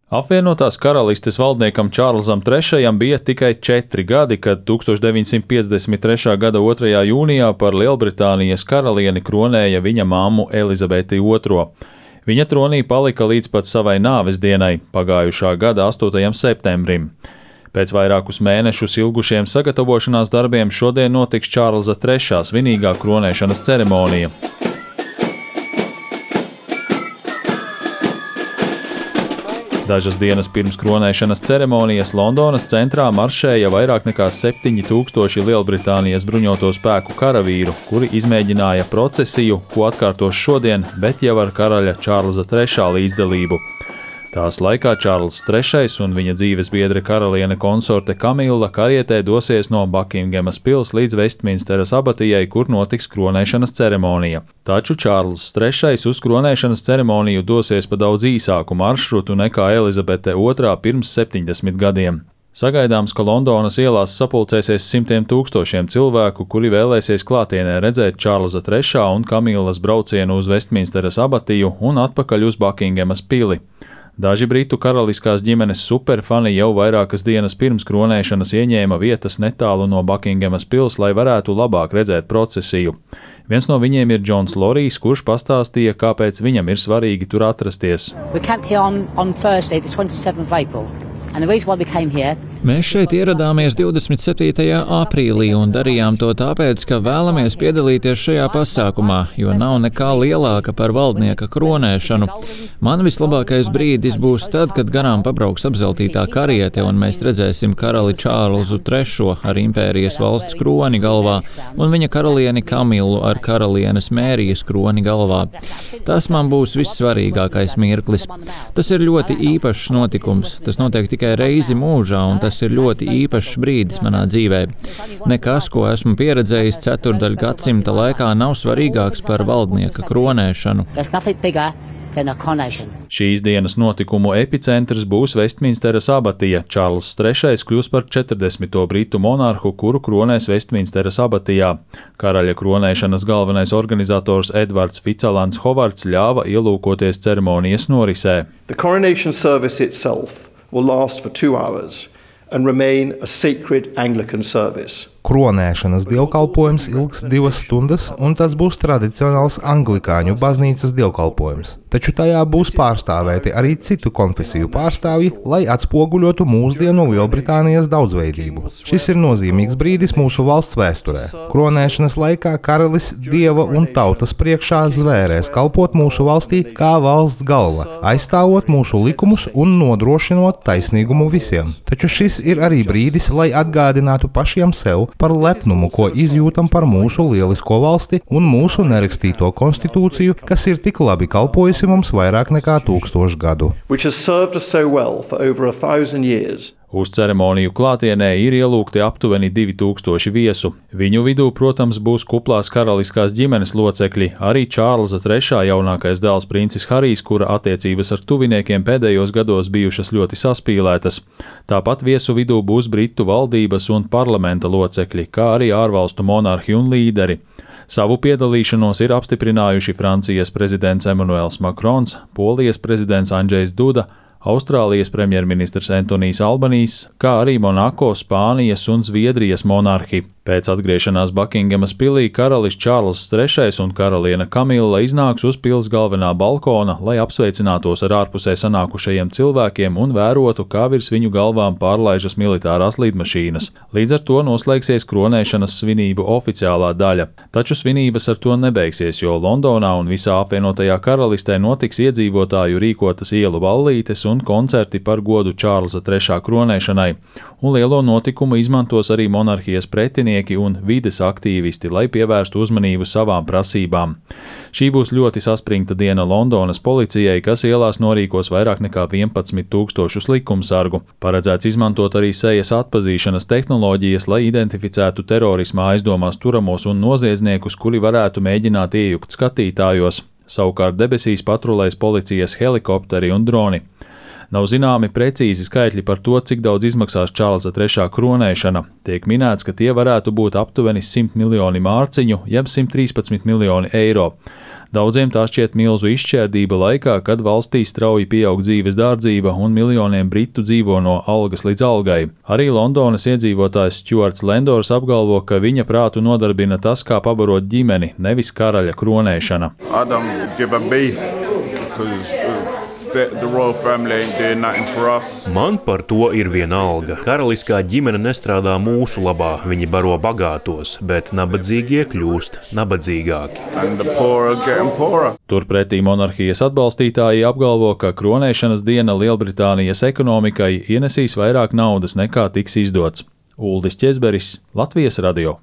Apvienotās karalistes valdniekam Čārlzam III bija tikai 4 gadi, kad 1953. gada 2. jūnijā par Lielbritānijas karalieni kronēja viņa mammu Elizabeti II. Viņa tronī palika līdz pat savai nāves dienai, pagājušā gada 8. septembrim. Pēc vairākus mēnešus ilgušiem sagatavošanās darbiem šodien notiks Čārlza III svinīgā kronēšanas ceremonija. Dažas dienas pirms kronēšanas ceremonijas Londonas centrā maršēja vairāk nekā 7000 Lielbritānijas bruņoto spēku karavīru, kuri izmēģināja procesiju, ko atkārtos šodien, bet jau ar karaļa Čārlza III līdzdalību. Tās laikā Čārlzs III un viņa dzīves biedre karaliene konsorte Kamila karietē dosies no Bakinghamas pils līdz Vestminsteras abatijai, kur notiks kronēšanas ceremonija. Taču Čārlzs III uz kronēšanas ceremoniju dosies pa daudz īsāku maršrutu nekā Elizabete II pirms 70 gadiem. Sagaidāms, ka Londonas ielās sapulcēsies simtiem tūkstošiem cilvēku, kuri vēlēsies klātienē redzēt Čārlza III un Kamilas braucienu uz Vestminsteras abatiju un atpakaļ uz Bakinghamas pili. Daži britu karaliskās ģimenes superfani jau vairākas dienas pirms kronēšanas ieņēma vietas netālu no Bakinghamas pils, lai varētu labāk redzēt procesiju. Viens no viņiem ir Džons Lorijs, kurš pastāstīja, kāpēc viņam ir svarīgi tur atrasties. Mēs šeit ieradāmies 27. aprīlī un darījām to tāpēc, ka vēlamies piedalīties šajā pasākumā, jo nav nekā lielāka par valdnieka kronēšanu. Man vislabākais brīdis būs tad, kad garām pabrauks apzeltītā kariete un mēs redzēsim karali Čārlzu III ar impērijas valsts kroni galvā un viņa karalieni Kamilu ar karalienes Mērijas kroni galvā. Tas man būs vissvarīgākais mirklis. Tas ir ļoti īpašs notikums. Tas notiek tikai reizi mūžā un tas ir ļoti īpašs brīdis manā dzīvē. Nekas, ko esmu pieredzējis 4 gadsimta laikā, nav svarīgāks par valdnieka kronēšanu. Šīs dienas notikumu epicentrs būs Vestminsteras abatija. Čārlzs III kļūs par 40. britu monarhu, kuru kronēs Vestminsteras abatijā. Karaļa kronēšanas galvenais organizators Edvards Fitzalans Hovards ļāva ielūkoties ceremonijas norisē. The coronation service itself will last for 2 hours and remain a sacred Anglican service. Kronēšanas dievkalpojums ilgs 2 stundas, un tas būs tradicionāls anglikāņu baznīcas dievkalpojums. Taču tajā būs pārstāvēti arī citu konfesiju pārstāvji, lai atspoguļotu mūsdienu Lielbritānijas daudzveidību. Šis ir nozīmīgs brīdis mūsu valsts vēsturē. Kronēšanas laikā karalis dieva un tautas priekšā zvērēs kalpot mūsu valstī kā valsts galva, aizstāvot mūsu likumus un nodrošinot taisnīgumu visiem. Taču šis ir arī brīdis, lai atgādinātu pašiem sev par lepnumu, ko izjūtam par mūsu lielisko valsti un mūsu nerakstīto konstitūciju, kas ir tik labi kalpojusi mums vairāk nekā 1000 gadu. Uz ceremoniju klātienē ir ielūgti aptuveni 2000 viesu. Viņu vidū, protams, būs kuplās karaliskās ģimenes locekļi, arī Čārlza III jaunākais dēls princis Harijs, kura attiecības ar tuviniekiem pēdējos gados bijušas ļoti saspīlētas. Tāpat viesu vidū būs Britu valdības un parlamenta locekļi, kā arī ārvalstu monarhi un līderi. Savu piedalīšanos ir apstiprinājuši Francijas prezidents Emmanuels Macrons, Polijas prezidents Andžejs Duda, Austrālijas premjerministrs Antonijs Albanijs, kā arī Monako, Spānijas un Zviedrijas monarhi. Pēc atgriešanās Bakinghamas pilī karalis Čārlzs III un karaliene Kamila iznāks uz pils galvenā balkona, lai apsveicinātos ar ārpusē sanākušajiem cilvēkiem un vērotu, kā virs viņu galvām pārlaižas militārās lidmašīnas. Līdz ar to noslēgsies kronēšanas svinību oficiālā daļa. Taču svinības ar to nebeigsies, jo Londonā un visā apvienotajā karalistē notiks iedzīvotāju rīkotas ielu ballītes un koncerti par godu Čārlza III kronēšanai, un lielo notikumu izmantos arī monarhijas pretinieki un vides aktīvisti, lai pievērstu uzmanību savām prasībām. Šī būs ļoti saspringta diena Londonas policijai, kas ielās norīkos vairāk nekā 11 000 likumsargu. Paredzēts izmantot arī sejas atpazīšanas tehnoloģijas, lai identificētu terorismā aizdomās turamos un noziedzniekus, kuri varētu mēģināt iejukt skatītājos. Savukārt debesīs patrulēs policijas helikopteri un droni. Nav zināmi precīzi skaitļi par to, cik daudz izmaksās Čārlza III kronēšana. Tiek minēts, ka tie varētu būt aptuveni 100 miljoni mārciņu, jeb 113 miljoni eiro. Daudziem tā šķiet milzu izšķērdība laikā, kad valstī strauji pieaug dzīves dārdzība un miljoniem britu dzīvo no algas līdz algai. Arī Londonas iedzīvotājs Stuarts Lendors apgalvo, ka viņa prātu nodarbina tas, kā pabarot ģimeni, nevis karaļa kronēšana. Man par to ir vienalga. Karaliskā ģimene nestrādā mūsu labā, viņi baro bagātos, bet nabadzīgie kļūst nabadzīgāki. Turpretī monarhijas atbalstītāji apgalvo, ka kronēšanas diena Lielbritānijas ekonomikai ienesīs vairāk naudas nekā tiks izdots. Uldis Ķezberis, Latvijas radio.